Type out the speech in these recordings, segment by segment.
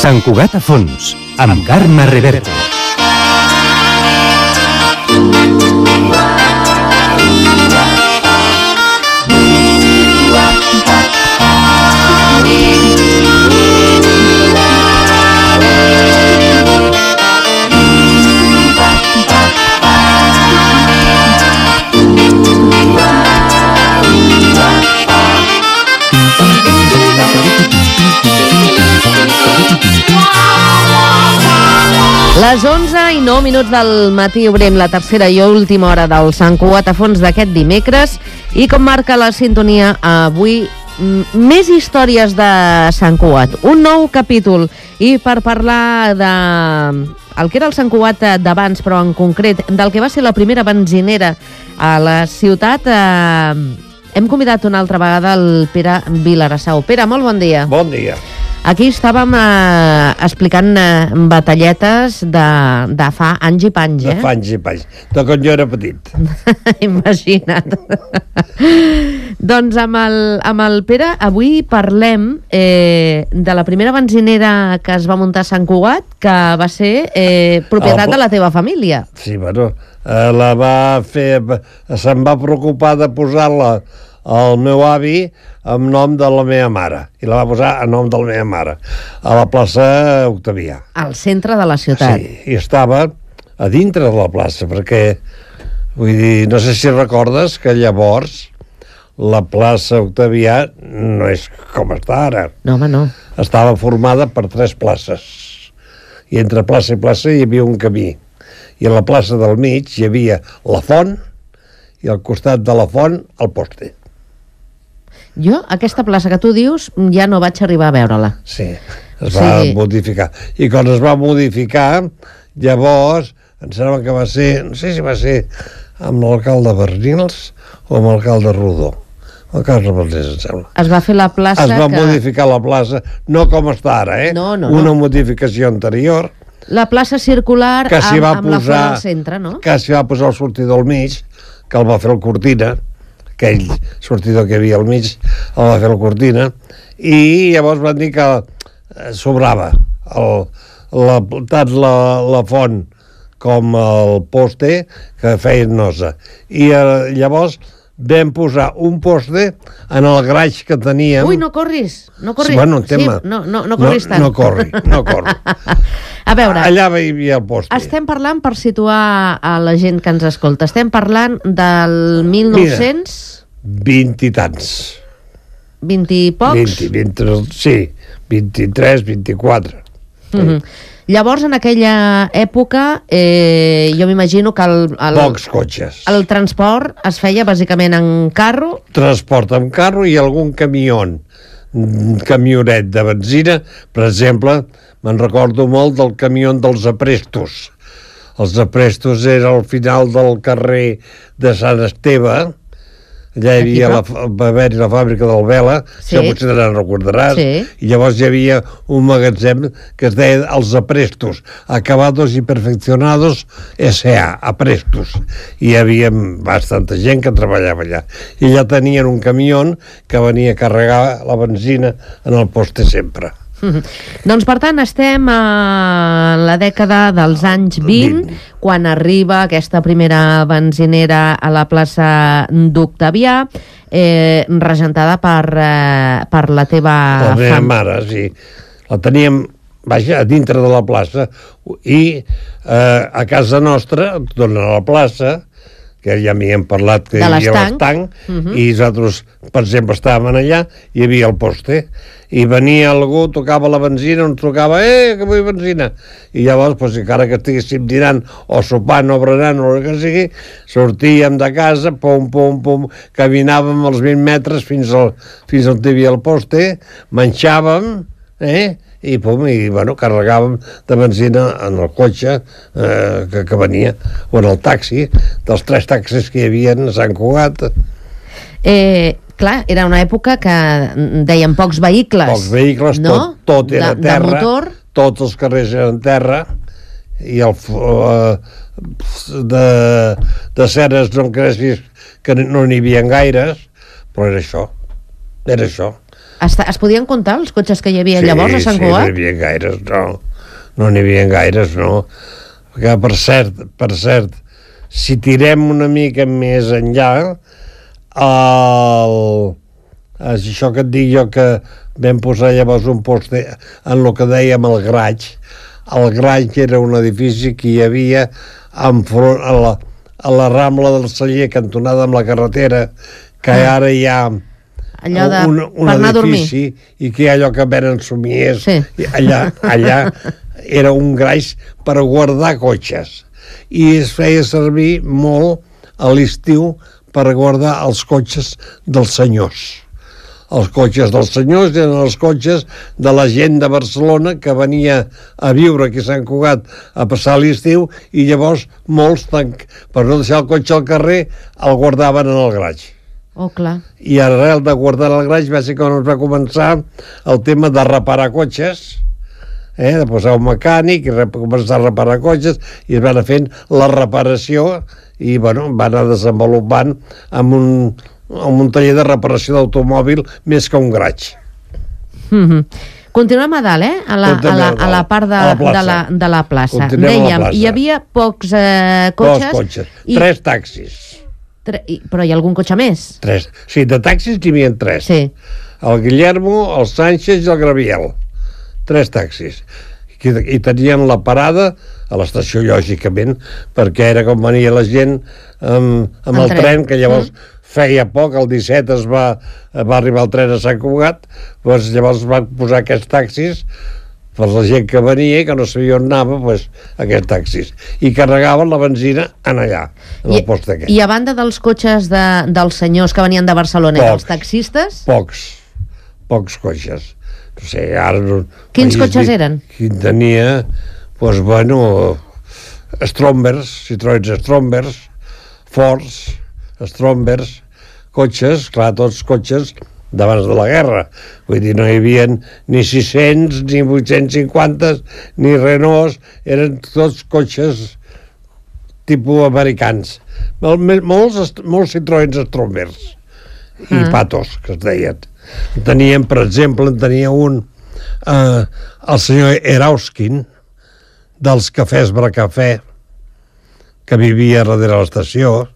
Sant Cugat a fons, amb Carme Reverte. Les 11:09 del matí obrim la tercera i última hora del Sant Cugat a fons d'aquest dimecres i com marca la sintonia avui, més històries de Sant Cugat, un nou capítol, i per parlar de el que era el Sant Cugat d'abans, però en concret del que va ser la primera benzinera a la ciutat, hem convidat una altra vegada el Pere Vilarassau. Pere, molt bon dia. Bon dia. Aquí estàvem explicant batalletes de fa anys i panys, De fa anys i panys, de quan jo era petit. Imagina't. Doncs amb el Pere avui parlem de la primera benzinera que es va muntar a Sant Cugat, que va ser propietat de la teva família. Sí, bueno, la va fer... Se'n va preocupar de posar-la el meu avi en nom de la meva mare, i la va posar en nom de la meva mare, a la plaça Octavià. Al centre de la ciutat. Sí, i estava a dintre de la plaça, perquè, vull dir, no sé si recordes que llavors la plaça Octavià no és com està ara. No, home, no. Estava formada per 3 places, i entre plaça i plaça hi havia un camí, i a la plaça del mig hi havia la font, i al costat de la font el poste. Jo, aquesta plaça que tu dius, ja no vaig arribar a veure-la. Sí, es va modificar. I quan es va modificar, llavors, em sembla que va ser, no sé si va ser amb l'alcalde Bernils o amb l'alcalde Rodó. El cas no em sembla. Es va fer la plaça es va modificar la plaça, no com està ara, una modificació anterior. La plaça circular que amb la font al centre, no? Que s'hi va posar el sortidor al mig, que el va fer el Cortina, aquell sortidor que hi havia al mig, el va fer el Cortina, i llavors van dir que sobrava tant la font com el poste, que feien nosa. I llavors vam posar un poste en el graix que teníem. Ui, no corris. Sí, bueno, tema. Sí, no corris tant. No corri. A veure, allà hi havia el poste. Estem parlant, per situar a la gent que ens escolta, estem parlant del 1900... 20 i tants. 20 i pocs? 23, 24. Llavors, en aquella època, jo m'imagino que pocs cotxes. El transport es feia bàsicament en carro? Transport en carro i algun camionet de benzina. Per exemple, me'n recordo molt del camió dels aprestos. Els aprestos era al final del carrer de Sant Esteve. Allà hi havia va haver-hi la fàbrica del Vela, si potser te n'en recordaràs, i llavors hi havia un magatzem que es deia Els Aprestos, Acabados y Perfeccionados S.A., Aprestos, i hi havia bastanta gent que treballava allà, i allà tenien un camió que venia a carregar la benzina en el poste sempre. Doncs, per tant, estem a la dècada dels anys 20, quan arriba aquesta primera benzinera a la plaça d'Octavià, regentada per la teva... La meva mare, sí. La teníem, vaja, a dintre de la plaça, i a casa nostra, tornant a la plaça, que ja m'hi hem parlat, que hi havia l'estanc, i nosaltres, per exemple, estàvem allà, hi havia el poste, i venia algú, tocava la benzina, ens tocava, que vull benzina, i llavors, doncs, encara que estiguéssim dinant, o sopant, o berenant, o el que sigui, sortíem de casa, pum, pum, pum, caminàvem els 20 metres fins on hi havia el poste, menjàvem, i bueno, carregàvem de benzina en el cotxe que venia, o en el taxi, dels 3 taxis que hi havia a Sant Cugat. Clar, era una època que deien pocs vehicles. Pocs vehicles, no? Tot era terra, de motor. Tots els carrers eren terra, i de ceres no em creguis que no n'hi havia gaires, però era això. Es podien comptar els cotxes que hi havia llavors a Sant Cugat? Sí, no n'hi havia gaires, no. No n'hi havia gaires, no. Que, per cert, si tirem una mica més enllà, això que et dic jo, que vam posar llavors un post en el que dèiem el Graig. El Graig era un edifici que hi havia enfront a la Rambla del Celler, cantonada amb la carretera, que ara hi ha un edifici i que hi ha allò que venen somiers. Sí. Allà era un graix per guardar cotxes i es feia servir molt a l'estiu per guardar els cotxes dels senyors. Els cotxes dels senyors eren els cotxes de la gent de Barcelona que venia a viure aquí a Sant Cugat a passar l'estiu i llavors molts, per no deixar el cotxe al carrer, el guardaven en el graig. Oh, clar. I arrel de guardar el graig va ser quan es va començar el tema de reparar cotxes, de posar un mecànic i començar a reparar cotxes, i es va anar fent la reparació i bueno, va anar desenvolupant amb un taller de reparació d'automòbil més que un graig. Continuem a dalt, a la part de la plaça. Dèiem, hi havia pocs cotxes. 3 taxis. Però hi ha algun cotxe més? 3. Sí, de taxis n'hi havia 3. Sí. El Guillermo, el Sánchez i el Graviel. 3 taxis. I tenien la parada a l'estació, lògicament, perquè era com venia la gent amb el tren, que llavors feia poc, el 17 va arribar el tren a Sant Cugat, doncs llavors van posar aquests taxis per la gent que venia i que no sabia on anava, doncs aquests taxis. I carregaven la benzina en allà, en el post aquest. I a banda dels cotxes dels senyors que venien de Barcelona i dels taxistes? Pocs cotxes. No sé, ara... Quins cotxes eren? Quin tenia, doncs, bueno, Strombers, Citroën Strombers, Fords, Strombers, cotxes, clar, tots cotxes d'abans de la guerra. Vull dir, no hi havia ni 600, ni 850, ni Renaults, eren tots cotxes tipus americans. Molts Citroën Strombers i Patos, que es deien. Teníem, per exemple, un el senyor Erauskin dels cafès Bracafè, que vivia darrere l'estació.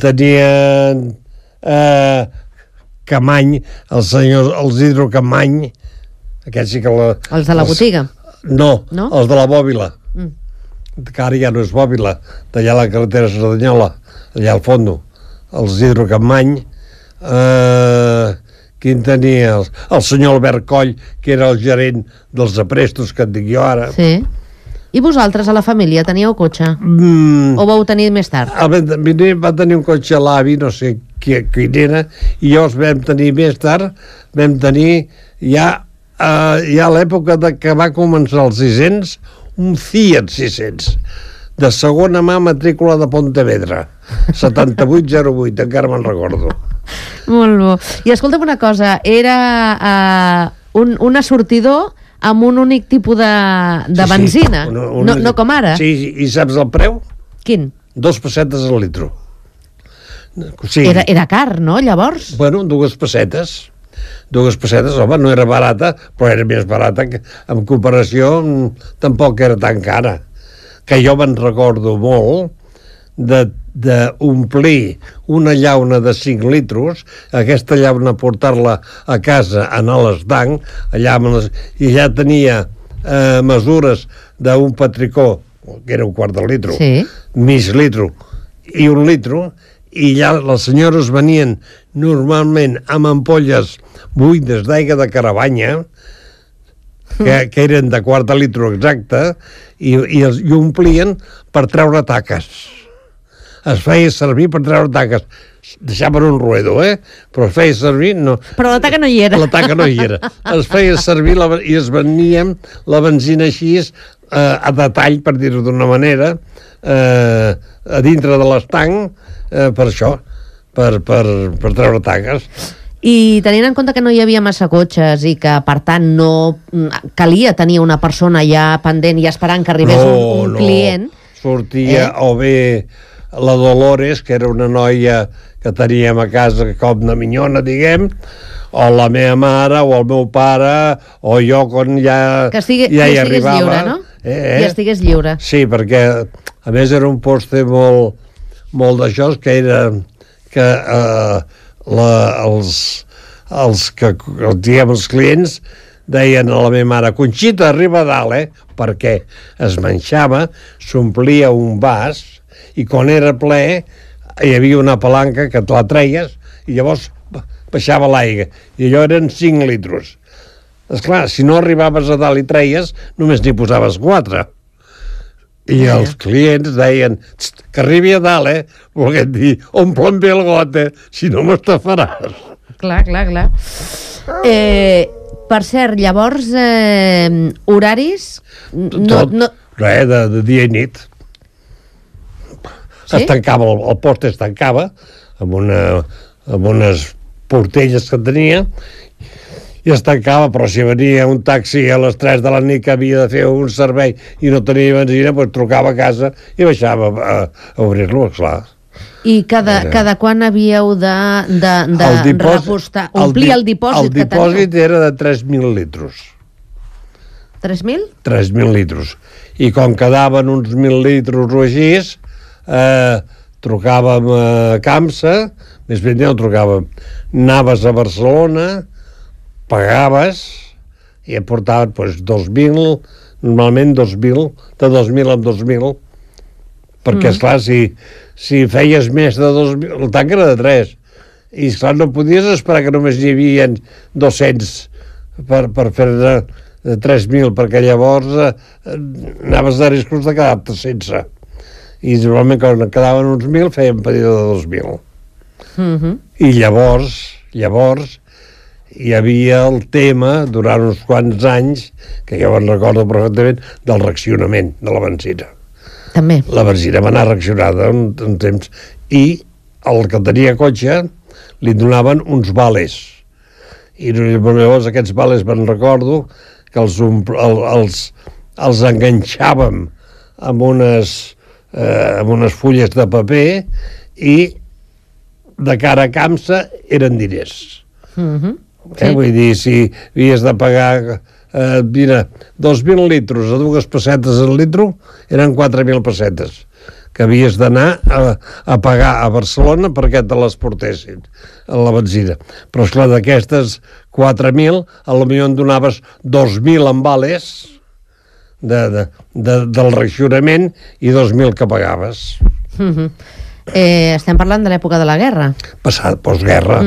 Tenien Camany, els Hidro Camany, aquests sí que els de la botiga? No, els de la Bòbila, que ara ja no és Bòbila, d'allà a la carretera Cerdanyola, allà al fondo, els Hidro Camany. Quin tenia? El senyor Albert Coll, que era el gerent dels aprestos, que et dic jo ara. Sí. I vosaltres, a la família, teníeu cotxe? O vau tenir més tard? Va tenir un cotxe a l'avi, no sé quin era, i llavors vam tenir més tard, vam tenir ja a l'època que va començar els 600, un Fiat 600, de segona mà, matrícula de Pontevedra, 7808, encara me'n recordo. Molt bo. I escolta'm una cosa, era un assortidor amb un únic tipus de benzina, no com ara. Sí, i saps el preu? Quin? 2 pessetes al litro. Era car, no, llavors? Bueno, 2 pessetes. 2 pessetes, home, no era barata, però era més barata, que en comparació tampoc era tan cara. Que jo me'n recordo molt d'omplir una llauna de 5 litros, aquesta llauna portar-la a casa, anar a l'estanc, i ja tenia mesures d'un petricó, que era un quart de litro, mig litro i 1 litro, i ja les senyores venien normalment amb ampolles buides d'aigua de Caravanya, que eren de quart de litro exacte, i omplien per treure taques. Es feia servir per treure taques. Deixaven un ruedo, però es feia servir... Però la taca no hi era. La taca no hi era. Es feia servir i es veníem la benzina així, a detall, per dir-ho d'una manera, a dintre de l'estanc, per això, per treure taques. I tenint en compte que no hi havia massa cotxes i que, per tant, no calia tenir una persona ja pendent i esperant que arribés un client... Sortia o bé la Dolores, que era una noia que teníem a casa com de minyona, diguem, o la meva mare, o el meu pare, o jo quan ja hi arribava. Lliure, no? Ja estigués lliure. Sí, perquè a més era un poste molt d'això, que era que els clients deien a la meva mare: Conxita, arriba a dalt, perquè es manxava, s'omplia un vas i quan era ple hi havia una palanca que te la treies i llavors baixava l'aigua i allò eren 5 litros. Esclar, si no arribaves a dalt i treies, només n'hi posaves 4. I els clients deien: que arribi a dalt, volguem dir, omple'm bé el got, si no m'estafaràs. Clar. Per cert, llavors, horaris... Res, de dia i nit. Sí? Es tancava, el post es tancava amb unes portelles que tenia i es tancava, però si venia un taxi a les 3 de la nit que havia de fer un servei i no tenia benzina, doncs trucava a casa i baixava a obrir-lo, clar. I cada quan havíeu de repostar, omplir el dipòsit que teniu? El dipòsit era de 3.000 litros. 3.000? 3.000 litros. I com quedaven uns 1.000 litros o així, trucàvem a Camsa, més ben no trucàvem, anaves a Barcelona, pagaves i et portaven 2.000, normalment 2.000, de 2.000 en 2.000, perquè, esclar, si feies més de 2.000, el tanc era de 3, i, esclar, no podies esperar que només hi havia 200 per fer de 3.000, perquè llavors anaves de riscos de quedar-te sense. I normalment quan quedaven uns 1.000 fèiem pedido de 2.000. I llavors hi havia el tema, durant uns quants anys, que jo me'n recordo perfectament, del racionament de la benzina. També. La benzina va anar racionada un temps. I el que tenia cotxe li donaven uns vales. I llavors aquests vales me'n recordo que els enganxàvem amb unes fulles de paper i de cara a Camsa eren diners. Sí. Vull dir, si havies de pagar 2.000 litros a 2 pessetes al litro, eren 4.000 pessetes que havies d'anar a pagar a Barcelona perquè te les portessin a la benzina. Però, esclar, d'aquestes 4.000, potser en donaves 2.000 en vales del racionament i 2.000 que pagaves. Estem parlant de l'època de la guerra. Postguerra.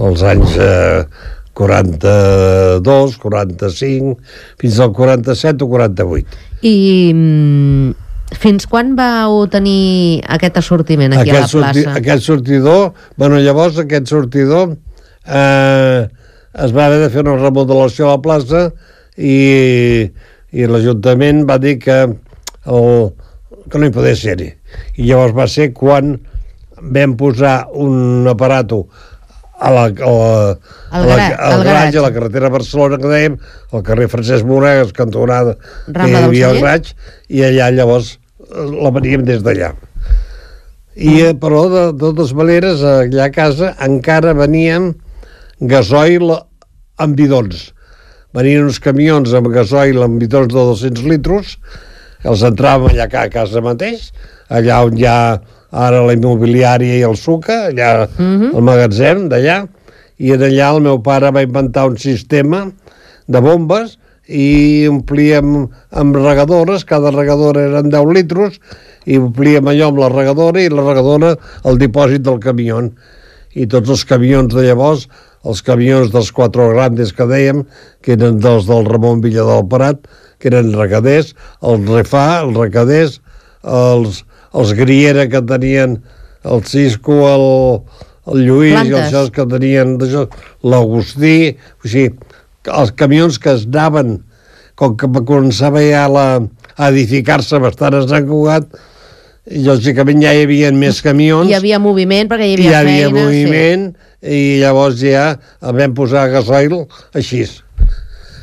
Els anys 42, 45, fins al 47 o 48. I fins quan vau tenir aquest assortiment aquí a la plaça? Aquest sortidor, llavors aquest sortidor es va haver de fer una remodelació a la plaça i l'Ajuntament va dir que no hi podia ser-hi. I llavors va ser quan vam posar un aparato al Graig, a la carretera de Barcelona, que dèiem, al carrer Francesc Moragas, cantonada, que hi havia el Graig, i allà llavors la veníem des d'allà. Però, de totes maneres, allà a casa encara veníem gasoil amb bidons. Venien uns camions amb gasoil amb bidons de 200 litros, els entràvem allà a casa mateix, allà on hi ha ara la immobiliària i el Suca, allà al magatzem d'allà, i allà el meu pare va inventar un sistema de bombes i omplíem amb regadores, cada regadora eren 10 litros, i omplíem allò amb la regadora i la regadora el dipòsit del camió. I tots els camions de llavors, els camions dels Cuatro Grandes que dèiem, que eren dels del Ramon Villa del Prat, que eren regaders, els Refà, els recaders, els Griera que tenien el Cisco, el Lluís i els jocs que tenien l'Agustí, o sigui, els camions que es anaven, com que començava ja a edificar-se bastant a Sant Cugat, lògicament ja hi havia més camions. Hi havia moviment perquè hi havia feina. Hi havia moviment i llavors ja el vam posar gasoil així.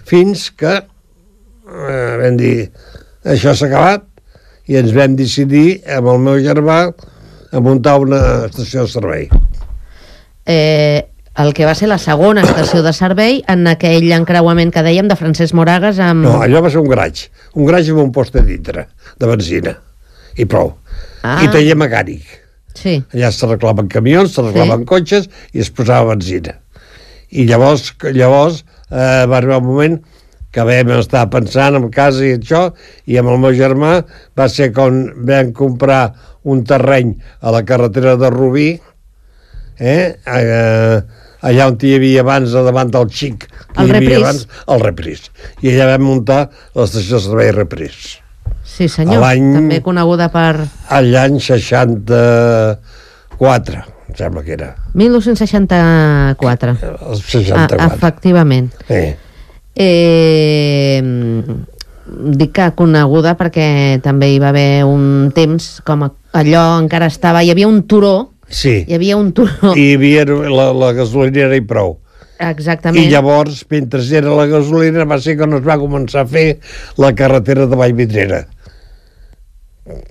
Fins que vam dir, això s'ha acabat i ens vam decidir, amb el meu germà, a muntar una estació de servei. El que va ser la segona estació de servei en aquell encreuament que dèiem de Francesc Moragas amb... No, allò va ser un garatge amb un post de dintre, de benzina, i prou. I taller mecànic. Sí. Allà s'arreglaven camions, s'arreglaven cotxes i es posava benzina. I llavors va arribar un moment que vam estar pensant en casa i això, i amb el meu germà va ser quan vam comprar un terreny a la carretera de Rubí, allà on hi havia abans, davant del Xic, el Repris. El Repris. I allà vam muntar l'estació de servei Repris. Sí, senyor, també coneguda per... L'any 64, em sembla que era. 1964. El 64. Efectivament. Dic que coneguda perquè també hi va haver un temps com allò encara estava... Hi havia un turó. Sí. Hi havia un turó. I hi havia la gasolinera i prou. Exactament. I llavors, mentre era la gasolina, va ser quan es va començar a fer la carretera de Vallvidrera.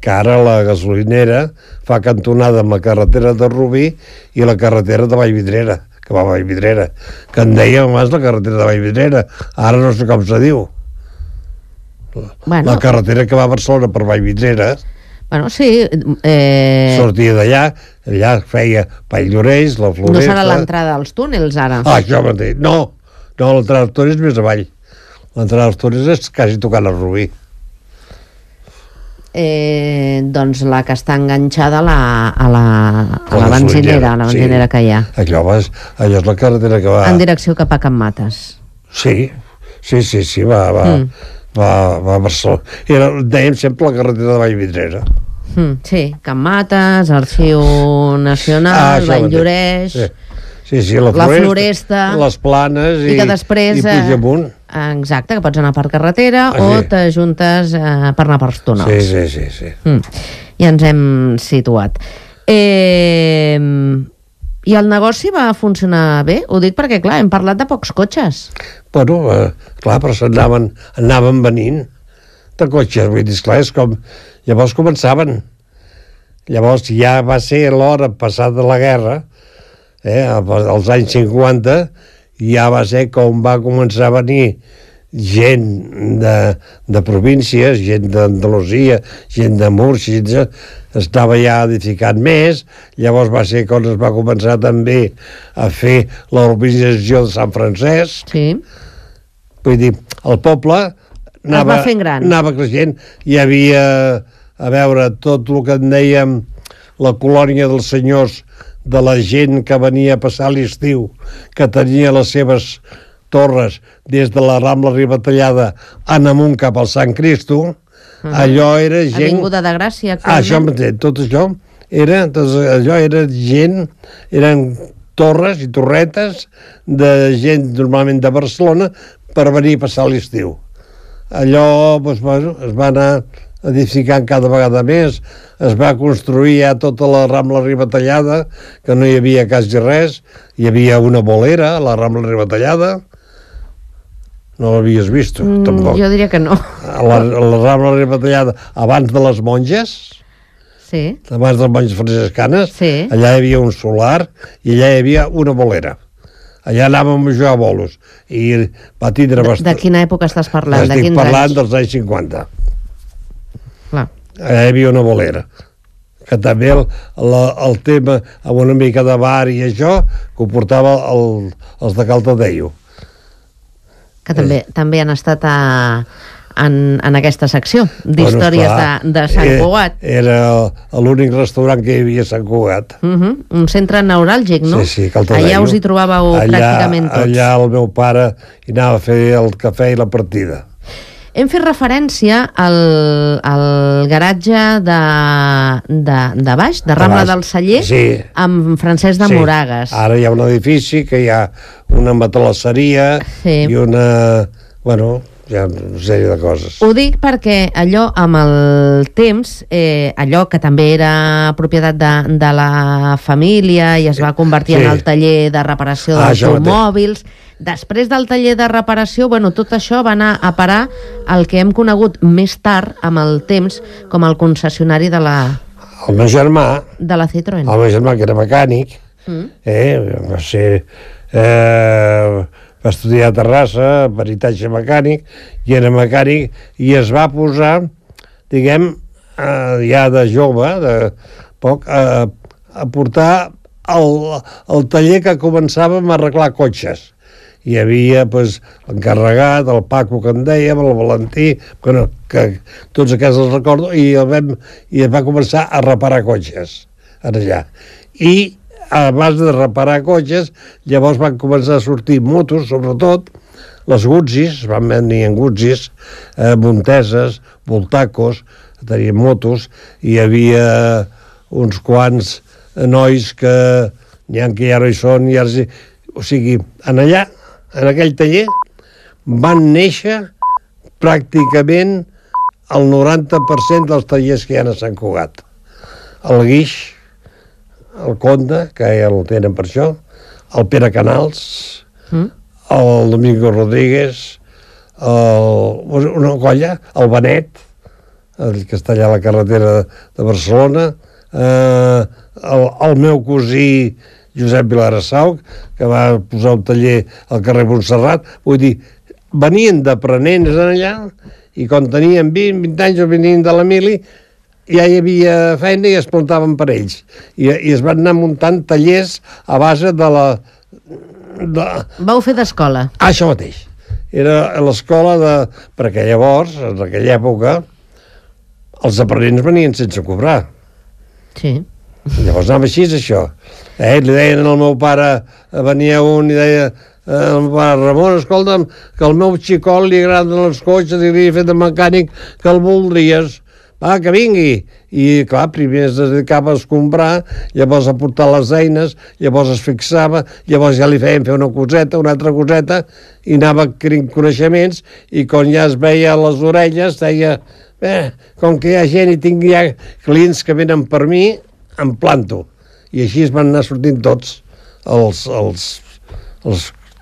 Que ara la gasolinera fa cantonada amb la carretera de Rubí i la carretera de Vallvidrera, que va a Vallvidrera, que en dèiem abans la carretera de Vallvidrera, ara no sé com se diu. La carretera que va a Barcelona per Vallvidrera, sí. Sortia d'allà, allà feia Valldoreix, la Floresta... No serà l'entrada als túnels, ara? Això mateix. No, l'entrada als túnels és més avall. L'entrada als túnels és quasi tocant el Rubí. Doncs la que està enganxada a la benzinera que hi ha. Allò és la carretera que va... En direcció cap a Can Mates. Sí, va a Barcelona. Dèiem sempre la carretera de Vallvidrera. Sí, Can Mates, Arxiu Nacional, Valldoreix... Sí, la Floresta, les Planes i després, Puigdemunt. Exacte, que pots anar per carretera o t'ajuntes per anar per túnels. Sí. Ja ens hem situat. I el negoci va funcionar bé? Ho dic perquè, clar, hem parlat de pocs cotxes. Bueno, clar, però anaven venint de cotxes, vull dir, esclar, és com... Llavors començaven. Llavors ja va ser l'hora passada la guerra, als anys 50, ja va ser com va començar a venir gent de províncies, gent d'Andalusia, gent de Múrcia, estava ja edificant més. Llavors va ser quan es va començar també a fer la urbanització de Sant Francesc. Sí. Vull dir, el poble anava creixent. Hi havia, a veure, tot el que en dèiem la colònia dels senyors, de la gent que venia a passar l'estiu, que tenia les seves torres des de la Rambla Ribatallada en amunt cap al Sant Cristo, allò era gent... Avinguda de Gràcia. Això mateix, tot això era gent, eren torres i torretes de gent normalment de Barcelona per venir a passar l'estiu. Allò es va anar edificant cada vegada més, es va construir ja tota la Rambla Ribatallada, que no hi havia quasi res, hi havia una bolera a la Rambla Ribatallada, no l'havies vist, tampoc. Jo diria que no. La Rambla Ribatallada, abans de les monges, abans de les monges franciscanes, allà hi havia un solar i allà hi havia una bolera. Allà anàvem a jugar a bolos i va tindre bastant... De quina època estàs parlant? Estic parlant dels anys 50. Clar. Allà hi havia una bolera, que també el tema amb una mica de bar i això que ho portava els de Caldedeu, que també han estat en aquesta secció d'històries de Sant Cugat. Era l'únic restaurant que hi havia a Sant Cugat. Un centre neuràlgic, no? Sí, Caldedeu. Allà us hi trobàveu pràcticament tots. Allà el meu pare hi anava a fer el cafè i la partida. Hem fet referència al garatge de baix, de Rambla del Celler, amb Francesc de Moragas. Ara hi ha un edifici que hi ha una matalasseria i una... Bueno, hi ha una sèrie de coses. Ho dic perquè allò amb el temps, allò que també era propietat de la família i es va convertir en el taller de reparació d'automòbils, després del taller de reparació, bueno, tot això va anar a parar el que hem conegut més tard amb el temps com el concessionari de la... El meu germà... De la Citroën. El meu germà, que era mecànic, va ser... va estudiar a Terrassa, peritatge mecànic, i era mecànic, i es va posar, diguem, ja de jove, de poc, a portar el taller que començàvem a arreglar cotxes. Hi havia l'encarregat, el Paco, que en dèiem, el Valentí, que tots aquests els recordo, i es va començar a reparar cotxes allà. I a base de reparar cotxes, llavors van començar a sortir motos, sobretot les Guzzi's, van venir en Guzzi's, Monteses, Voltacos, tenien motos, i hi havia uns quants nois que n'hi ha que ja no hi són, o sigui, allà, en aquell taller, van néixer pràcticament el 90% dels tallers que hi ha a Sant Cugat. El Guix, el Conde, que ja el tenen per això, el Pere Canals, el Domingo Rodríguez, una colla, el Benet, el que està allà a la carretera de Barcelona, el meu cosí Josep Vilarassau, que va posar un taller al carrer Montserrat. Vull dir, venien d'aprenents allà, i quan tenien 20 anys o venien de la mili, ja hi havia feina i es plantaven per ells. I es van anar muntant tallers a base de la... Vau fer d'escola. Això mateix. Era l'escola de... Perquè llavors, en aquella època, els aprenents venien sense cobrar. Sí. Llavors anava així, això. Li deien al meu pare, venia un i deia al meu pare, Ramon, escolta'm, que al meu xicot li agraden els cotxes i li he fet de mecànic, que el voldries. Va, que vingui. I, clar, primer es dedicava a comprar, llavors a portar les eines, llavors es fixava, llavors ja li feien fer una coseta, una altra coseta, i anava adquirint coneixements, i quan ja es veia les orelles, deia, com que hi ha gent i tinc ja clients que venen per mi, em planto. I així es van anar sortint tots els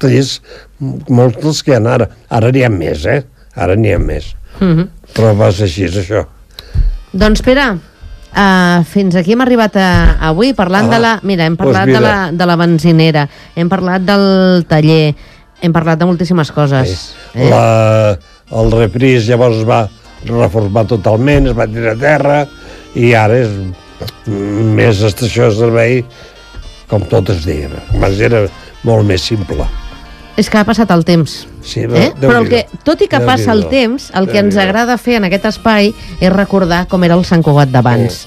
tallers, molts dels que hi ha ara. Ara n'hi ha més, Ara n'hi ha més. Però va ser així, és això. Doncs, Pere, fins aquí hem arribat avui parlant de la... Mira, hem parlat de la benzinera, hem parlat del taller, hem parlat de moltíssimes coses. El Repris llavors es va reformar totalment, es va tirar a terra, i ara és més estació de servei, com tot es deia. Abans era molt més simple. És que ha passat el temps. Sí, però tot i que passa el temps, el que ens agrada fer en aquest espai és recordar com era el Sant Cugat d'abans.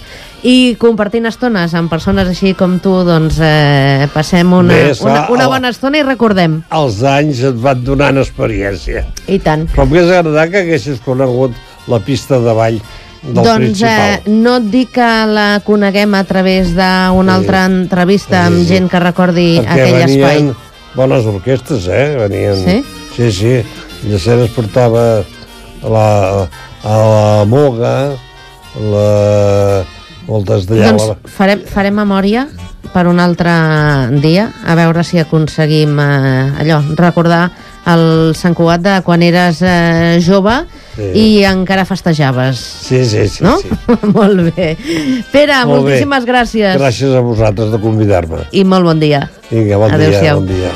I compartint estones amb persones així com tu, doncs passem una bona estona i recordem. Els anys et van donant experiència. I tant. Però m'hagués agradat que haguessis conegut la pista de ball del principal. Doncs no et dic que la coneguem a través d'una altra entrevista amb gent que recordi aquell espai. Perquè venien bones orquestres, venien... Sí? Sí. Llaceres portava la Moga, moltes d'allà... Doncs farem memòria per un altre dia, a veure si aconseguim recordar el Sant Cugat de quan eres jove i encara festejaves. Sí. No? Sí. Molt bé. Pere, moltíssimes gràcies. Gràcies a vosaltres de convidar-me. I molt bon dia. Vinga, bon dia.